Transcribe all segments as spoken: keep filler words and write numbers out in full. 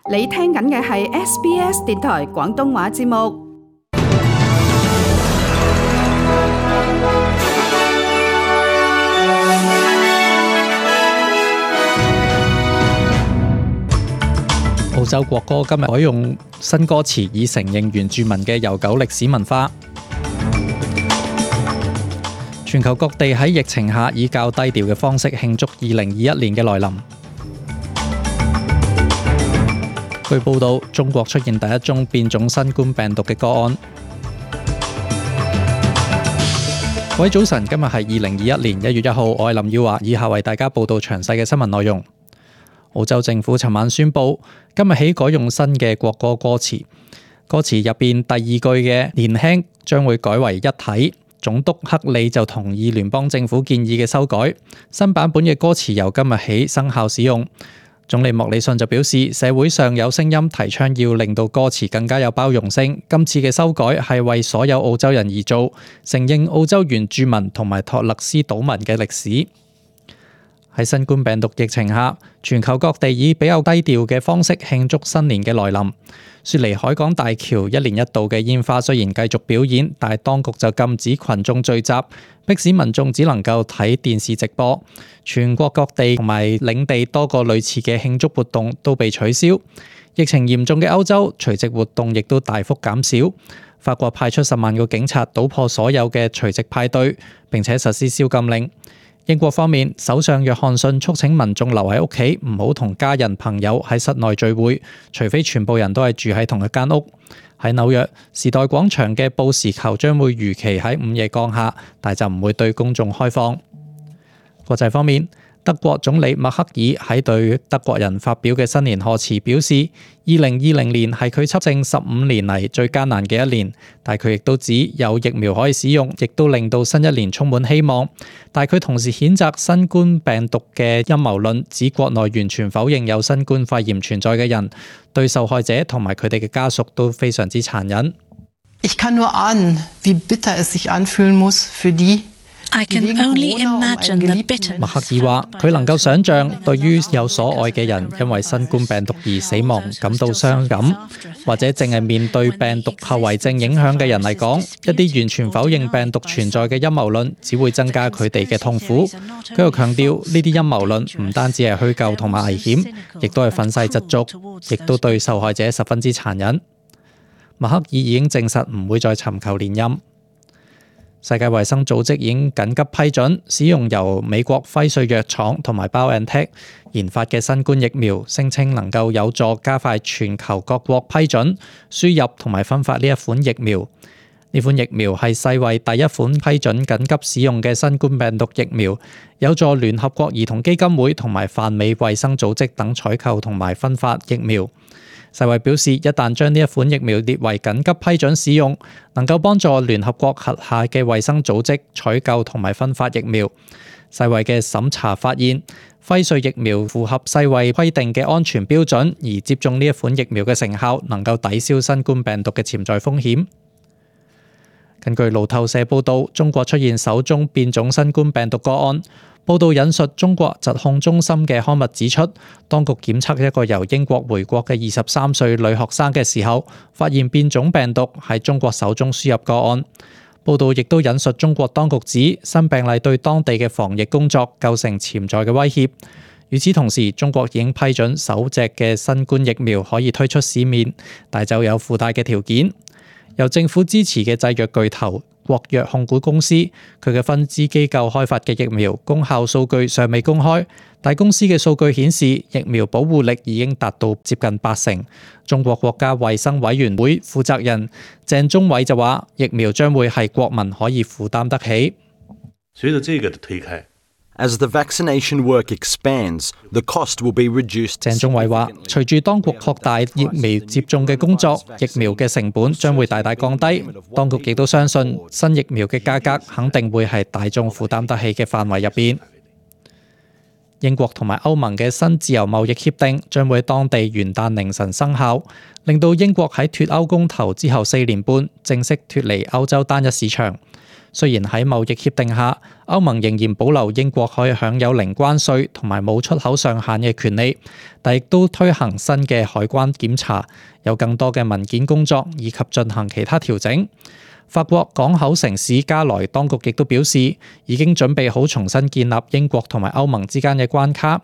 你聽緊嘅係 S B S 電台廣東話節目。澳洲國歌今日改用新歌詞，以承認原住民嘅悠久歷史文化。全球各地喺疫情下以較低調嘅方式慶祝二零二一年嘅來臨。據報道，中國出現第一宗變種新冠病毒嘅個案。各位早晨，今日係二零二一年一月一號，我係林耀華，以下為大家報道詳細嘅新聞內容。澳洲政府尋晚宣布，今日起改用新嘅國歌歌詞，歌詞入邊第二句嘅年輕將會改為一體。總督克里就同意聯邦政府建議嘅修改，新版本嘅歌詞由今日起生效使用。總理莫里遜就表示，社會上有聲音提倡要令到歌詞更加有包容性，今次嘅修改係為所有澳洲人而做，承認澳洲原住民同埋托勒斯島民嘅歷史。喺新冠病毒疫情下，全球各地以比較低調嘅方式慶祝新年嘅來臨。雪梨海港大橋一年一度嘅煙花雖然繼續表演，但係當局就禁止群眾聚集，迫使民眾只能夠睇電視直播。全國各地同埋領地多個類似嘅慶祝活動都被取消。疫情嚴重嘅歐洲，除夕活動亦都大幅減少。法國派出十萬個警察搗破所有嘅除夕派對，並且實施宵禁令。英國方面，首相約翰遜促請民眾留喺屋企，唔好同家人朋友喺室內聚會，除非全部人都係住喺同一間屋。喺紐約，時代廣場嘅報時球將會如期喺午夜降下，但就唔會對公眾開放。國際方面，德國總理默克爾喺對德國人發表嘅新年賀詞表示，二零二零年係佢執政十五年嚟最艱難嘅一年，但佢亦都指有疫苗可以使用，亦都令到新一年充滿希望。但佢同時譴責新冠病毒嘅陰謀論，指國內完全否認有新冠肺炎存在嘅人，對受害者同埋佢哋嘅家屬都非常之殘忍。Ich kann nur ahnen, wie bitter es sich anfühlen muss für die I can only imagine the bitterness. 默克爾話：佢能夠想像，對於有所愛嘅人因為新冠病毒而死亡感到傷感，或者淨係面對病毒後遺症影響嘅人嚟講，一啲完全否認病毒存在嘅陰謀論，只會增加佢哋嘅痛苦。佢又強調，呢啲陰謀論唔單止係虛構同埋危險，亦都係憤世嫉俗，亦都對受害者十分之殘忍。默克爾已經證實唔會再尋求連任。世界衛生組織已經緊急批准使用由美國輝瑞藥廠同埋 BioNTech 研發嘅新冠疫苗，聲稱能夠有助加快全球各國批准、輸入同埋分發呢一款疫苗。呢款疫苗係世衛第一款批准緊急使用嘅新冠病毒疫苗，有助聯合國兒童基金會同埋泛美衛生組織等採購同埋分發疫苗。世衛表示，一旦將呢一款疫苗列為緊急批准使用，能夠幫助聯合國轄下嘅衛生組織採購同埋分發疫苗。世衛嘅審查發現，輝瑞疫苗符合世衛規定嘅安全標準，而接種呢一款疫苗嘅成效能夠抵消新冠病毒嘅潛在風險。根據路透社報導，中國出現首宗變種新冠病毒個案。報道引述中國疾控中心嘅刊物指出，當局檢測一個由英國回國嘅二十三歲女學生嘅時候，發現變種病毒，係中國首宗輸入個案。報道亦都引述中國當局指，新病例對當地嘅防疫工作構成潛在嘅威脅。與此同時，中國已經批准首隻嘅新冠疫苗可以推出市面，但就有附帶嘅條件。由政府支持嘅製藥巨頭國藥控股公司，佢嘅分支機構開發嘅疫苗功效數據尚未公開，但公司嘅數據顯示疫苗保護力已經達到接近八成。中國國家衛生委員會負責人鄭忠偉就話，疫苗將會係國民可以負擔得起。隨着這個的推開，As the vaccination work expands, the cost will be reduced. 鄭忠偉話，隨住當局擴大疫苗接種嘅工作，疫苗嘅成本將會大大降低。當局亦都相信新疫苗嘅價格肯定會係大眾負擔得起嘅範圍入邊。英國同埋歐盟嘅新自由貿易協定將會喺當地元旦凌晨生效，令到英國喺脫歐公投之後四年半正式脫離歐洲單一市場。雖然喺貿易協定下，歐盟仍然保留英國可以享有零關稅同埋冇出口上限嘅權利，但亦都推行新嘅海關檢查，有更多嘅文件工作以及進行其他調整。法國港口城市加萊當局亦都表示，已經準備好重新建立英國同埋歐盟之間嘅關卡。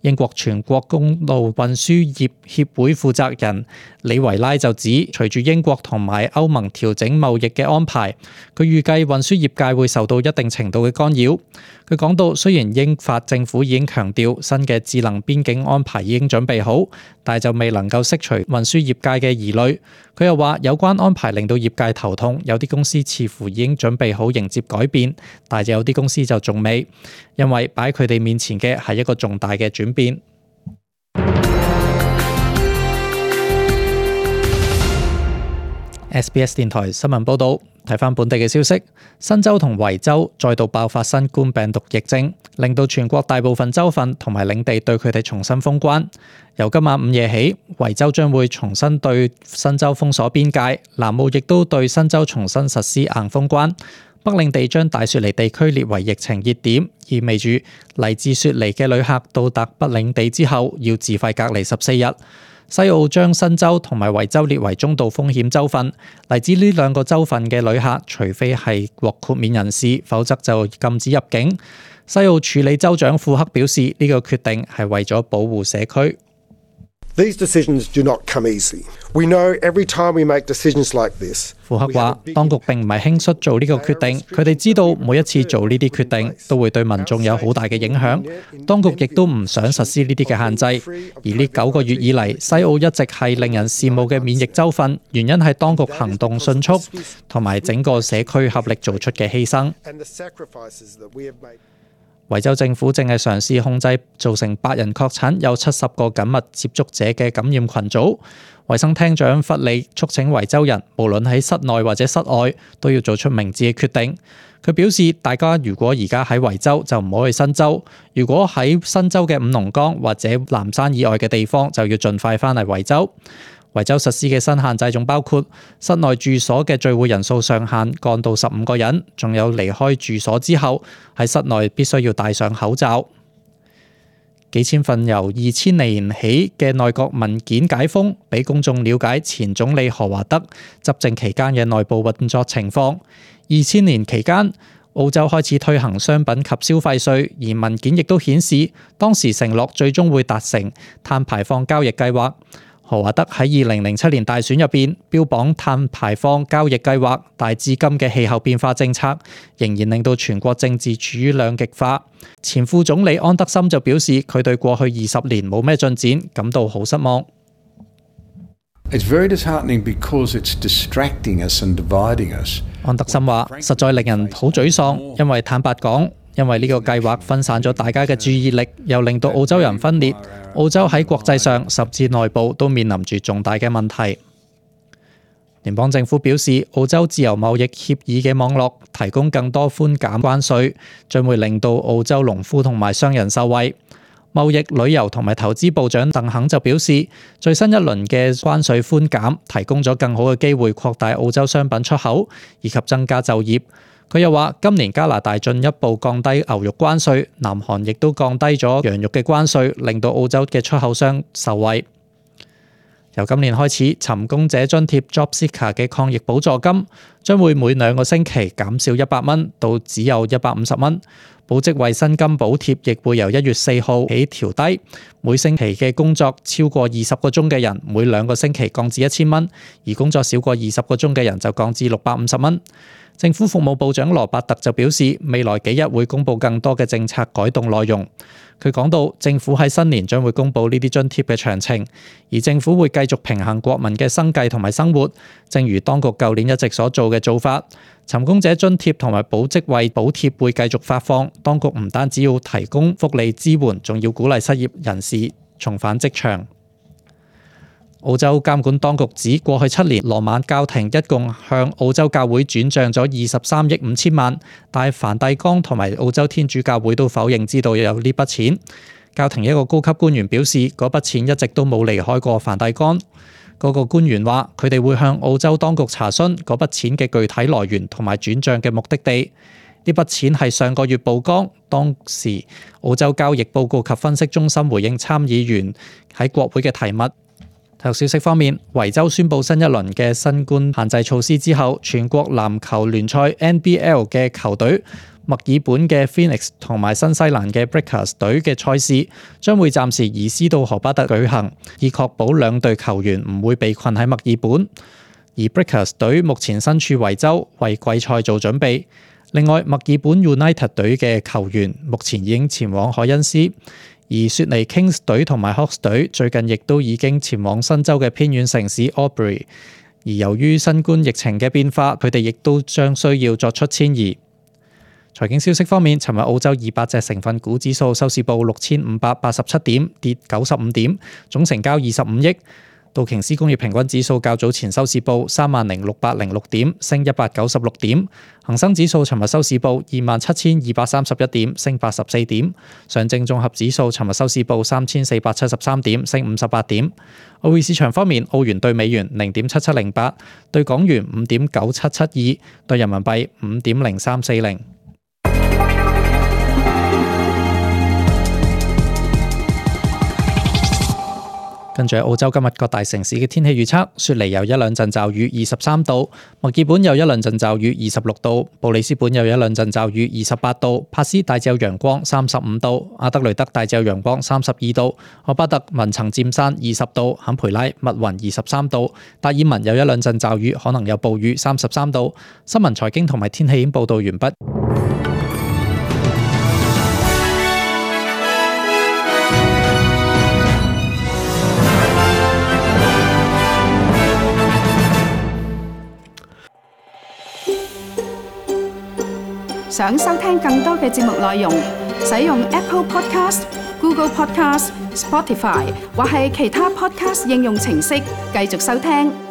英國全國公路運輸業協會負責人李維拉就指，隨住英國同埋歐盟調整貿易嘅安排，佢預計運輸業界會受到一定程度嘅干擾。佢講到，雖然英法政府已經強調新嘅智能邊境安排已經準備好，但係就未能夠釋除運輸業界嘅疑慮。佢又話，有關安排令到業界頭痛，有啲公司似乎已經準備好迎接改變，但係有啲公司就仲未，因為擺喺佢哋面前嘅係一個重大嘅轉變。S B S 電台新聞報導，睇返本地嘅消息，新州同維州再度爆發新冠病毒疫症，令到全國大部分州份同埋領地對佢哋重新封關。由今晚午夜起，維州將會重新對新州封鎖邊界，南澳亦都對新州重新實施硬封關。北領地將大雪梨地區列為疫情熱點，意味住嚟自雪梨嘅旅客到達北領地之後要自費隔離十四日。西澳將新州同埋維州列為中度風險州份，嚟自呢兩個州份嘅旅客，除非係獲豁免人士，否則就禁止入境。西澳處理州長庫克表示，呢、這個決定係為咗保護社區。These decisions do not come easy. We know every time we make decisions like this. 庫克話，當局並唔係輕率做呢個決定，佢哋知道每一次做呢啲決定都會對民眾有好大嘅影響。當局亦都唔想實施呢啲嘅限制。而呢九個月以嚟，西澳一直係令人羨慕嘅免疫州份，原因係當局行動迅速，同埋整個社區合力做出嘅犧牲。維州政府正係嘗試控制造成八人確診、有七十個緊密接觸者嘅感染群組。衛生廳長弗利促請維州人，無論喺室內或者室外，都要做出明智嘅決定。佢表示，大家如果而家喺維州，就唔好去新州；如果喺新州嘅五龍崗或者藍山以外嘅地方，就要盡快返嚟維州。維州實施嘅新限制仲包括室內住所嘅聚會人數上限降到十五個人，仲有離開住所之後喺室內必須要戴上口罩。幾千份由二千年起嘅內閣文件解封，俾公眾了解前總理何華德執政期間嘅內部運作情況。二千年期間，澳洲開始推行商品及消費稅，而文件亦都顯示當時承諾最終會達成碳排放交易計劃。何華德喺二零零七年大選入邊標榜碳排放交易計劃，但至今嘅氣候變化政策仍然令到全國政治處於兩極化。前副總理安德森就表示，佢對過去二十年冇咩進展感到好失望。It's very disheartening because it's distracting us and dividing us. 安德森話：實在令人好沮喪，因為坦白講，因為呢個計劃分散咗大家嘅注意力，又令到澳洲人分裂。澳洲喺國際上甚至內部都面臨住重大嘅問題。聯邦政府表示，澳洲自由貿易協議嘅網絡提供更多寬減關稅，將會令到澳洲農夫同埋商人受惠。貿易、旅遊同埋投資部長鄧肯就表示，最新一輪嘅關稅寬減提供咗更好嘅機會擴大澳洲商品出口，以及增加就業。佢又話，今年加拿大進一步降低牛肉關稅，南韓亦都降低咗羊肉嘅關稅，令到澳洲嘅出口商受惠。由今年開始，尋工者津貼 JobSeeker 嘅抗疫補助金將會每兩個星期減少一百蚊，到只有一百五十蚊。保職位薪金補貼亦會由一月四號起調低，每星期嘅工作超過二十個鐘嘅人，每兩個星期降至一千蚊，而工作少過二十個鐘嘅人就降至六百五十蚊。政府服務部長羅伯特就表示，未來幾日會公布更多嘅政策改動內容。佢講到，政府喺新年將會公布呢啲津貼嘅詳情，而政府會繼續平衡國民嘅生計同埋生活，正如當局舊年一直所做嘅做法。尋工者津貼同埋保職位補貼會繼續發放，當局唔單止要提供福利支援，仲要鼓勵失業人士重返職場。澳洲監管當局指，過去七年羅曼教廷一共向澳洲教會轉帳咗二十三億五千萬，但係梵蒂岡同埋澳洲天主教會都否認知道有呢筆錢。教廷一個高級官員表示，嗰筆錢一直都冇離開過梵蒂岡。嗰個官員話，佢哋會向澳洲當局查詢嗰筆錢嘅具體來源同埋轉帳嘅目的地。呢筆錢係上個月曝光，當時澳洲交易報告及分析中心回應參議員喺國會嘅提問。體育消息方面，維州宣布新一輪嘅新冠限制措施之後，全國籃球聯賽 N B L 嘅球隊墨爾本嘅 Phoenix 同埋新西蘭嘅 Breakers 隊嘅賽事將會暫時移師到荷巴特舉行，以確保兩隊球員唔會被困喺墨爾本。而 Breakers 隊目前身處維州，為季賽做準備。另外，墨爾本 United 隊嘅球員目前已經前往凱恩斯。而雪梨 Kings 隊同埋 Hawks 隊最近亦都已經前往新州嘅偏遠城市 Albury， 而由於新冠疫情嘅變化，佢哋亦都將需要作出遷移。財經消息方面，尋日澳洲二百隻成分股指數收市報六千五百八十七點，跌九十五點，總成交二十五億。道瓊斯工業平均指數較早前收市報三萬零六百零六點，升一百九十六點。恒生指數尋日收市報二萬七千二百三十一點，升八十四點。上證綜合指數尋日收市報三千四百七十三點，升五十八點。外匯市場方面，澳元對美元零點七七零八，對港元五點九七七二，對人民幣五點零三四零。跟住喺澳洲今日各大城市嘅天氣預測，雪梨有一兩陣驟雨，二十三度；墨爾本有一兩陣驟雨，二十六度；布里斯本有一兩陣驟雨，二十八度；帕斯大致有陽光，三十五度；阿德雷德大致有陽光，三十二度；荷巴特雲層佔山，二十度；坎培拉密雲，二十三度；達爾文有一兩陣驟雨，可能有暴雨，三十三度。新聞財經同埋天氣已經報道完畢。想收聽更多嘅節目內容，使用 Apple Podcast、Google Podcast、Spotify 或係其他 Podcast 應用程式繼續收聽。